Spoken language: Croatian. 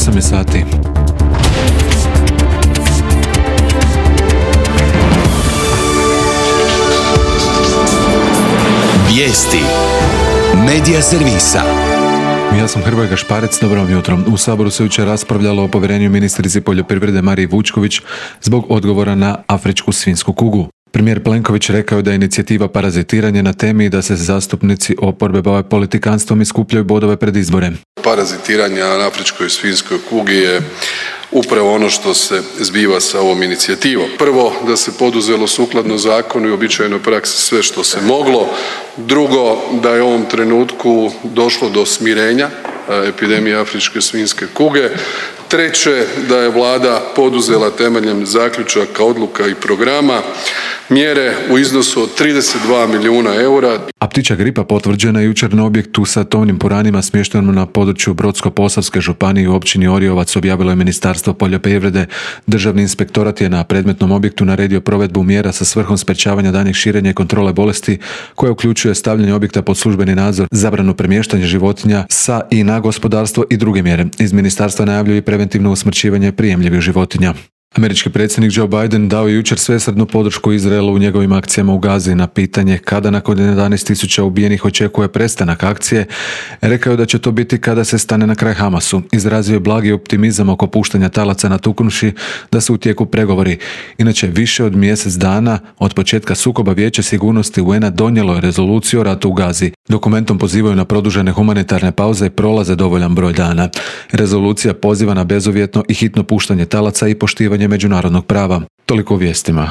8 je sati. Vijesti Medija servisa. Ja sam Hrvoje Gašparec, dobro vam jutro. U Saboru se jučer raspravljalo o povjerenju ministrici poljoprivrede Mariji Vučković zbog odgovora na afričku svinjsku kugu. Premijer Plenković rekao je da je inicijativa parazitiranje na temi i da se zastupnici oporbe bave politikanstvom i skupljaju bodove pred izbore. Parazitiranje na afričkoj svinjskoj kugi je upravo ono što se zbiva sa ovom inicijativom. Prvo, da se poduzelo sukladno zakonu i uobičajenoj praksi sve što se moglo. Drugo, da je u ovom trenutku došlo do smirenja epidemije afričke svinjske kuge. Treće, da je Vlada poduzela temeljem zaključaka, odluka i programa mjere u iznosu od 32 milijuna eura. A ptičja gripa potvrđena je jučer na objektu sa tovnim puranima smještenom na području Brodsko-posavske županije u općini Oriovac, objavilo je Ministarstvo poljoprivrede. Državni inspektorat je na predmetnom objektu naredio provedbu mjera sa svrhom sprečavanja daljnjeg širenja i kontrole bolesti, koja uključuje stavljanje objekta pod službeni nadzor, zabranu premještanja životinja sa i na gospodarstvo i druge mjere. Iz ministarstva najavljuju i preventivno usmrćivanje prijemljivih životinja. Američki predsjednik Joe Biden dao je jučer svesrdnu podršku Izraelu u njegovim akcijama u Gazi. Na pitanje kada nakon 11.000 ubijenih očekuje prestanak akcije, rekao je da će to biti kada se stane na kraj Hamasu. Izrazio je blagi optimizam oko puštanja talaca natuknuvši da su u tijeku pregovori. Inače, više od mjesec dana od početka sukoba Vijeće sigurnosti UN-a donijelo je rezoluciju o ratu u Gazi. Dokumentom pozivaju na produžene humanitarne pauze i prolaze dovoljan broj dana. Rezolucija poziva na bezuvjetno i hitno puštanje talaca i poštivanje međunarodnog prava. Toliko u vijestima.